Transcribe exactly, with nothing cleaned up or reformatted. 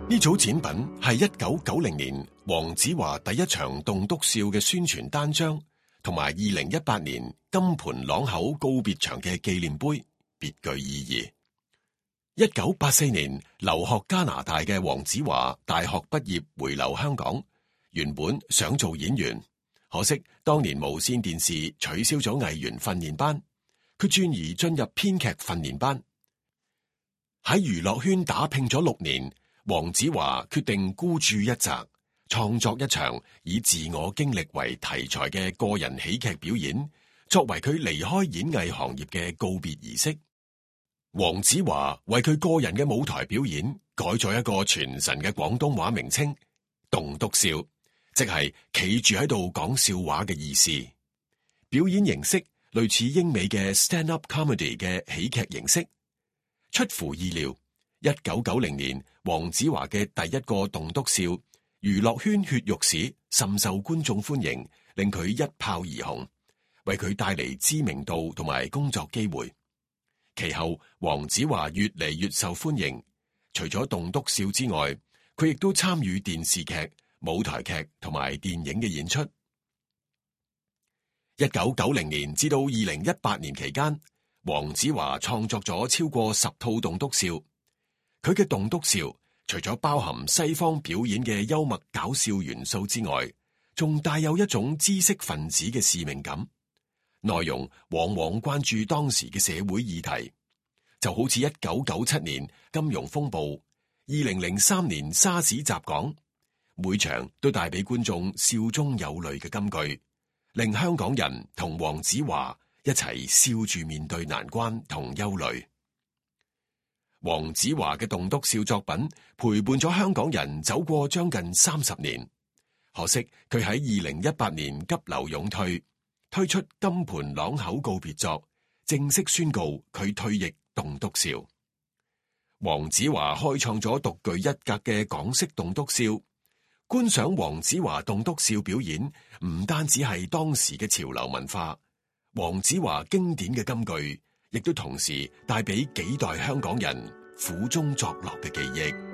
呢組展品係一九九零年黃子華第一場棟篤笑嘅宣傳單張，同埋二零一八年金盆朗口告別場嘅紀念碑，別具意義。一九八四年留學加拿大嘅黃子華大學畢業回流香港，原本想做演員，可惜當年無綫電視取消咗藝員訓練班，佢轉而進入編劇訓練班。喺娛樂圈打拼咗六年，黃子華決定孤注一擲，創作一場以自我經歷為題材嘅個人喜劇表演，作為佢離開演藝行業嘅告別儀式。黃子華為佢個人嘅舞台表演改咗一個傳神嘅廣東話名稱——棟篤笑，即係企住喺度講笑話嘅意思。表演形式類似英美嘅 stand-up comedy 嘅喜劇形式。出乎意料，一九九零年黃子華嘅第一個棟篤笑《娛樂圈血肉史》甚受觀眾歡迎，令佢一炮而紅，為佢帶嚟知名度同埋工作機會。其後黃子華越嚟越受歡迎，除咗棟篤笑之外，佢亦都參與電視劇、舞台劇同埋電影嘅演出。一九九零年至到二零一八年期間，黃子華創作咗超過十套棟篤笑。佢嘅棟篤笑除咗包含西方表演嘅幽默搞笑元素之外，仲帶有一種知識分子嘅使命感。內容往往關注當時嘅社會議題，就好似一九九七年金融風暴、二零零三年沙士襲港，每場都帶俾觀眾笑中有淚嘅金句，令香港人同黃子華一齊笑住面對難關同憂慮。黃子華嘅棟篤笑作品陪伴咗香港人走過將近三十年，可惜佢喺二零一八年急流勇退，推出金盆朗口告別作，正式宣告佢退役棟篤笑。黃子華開創咗獨具一格嘅港式棟篤笑，觀賞黃子華棟篤笑表演，唔單止係當時嘅潮流文化，黃子華經典嘅金句，亦都同時帶俾幾代香港人苦中作樂嘅記憶。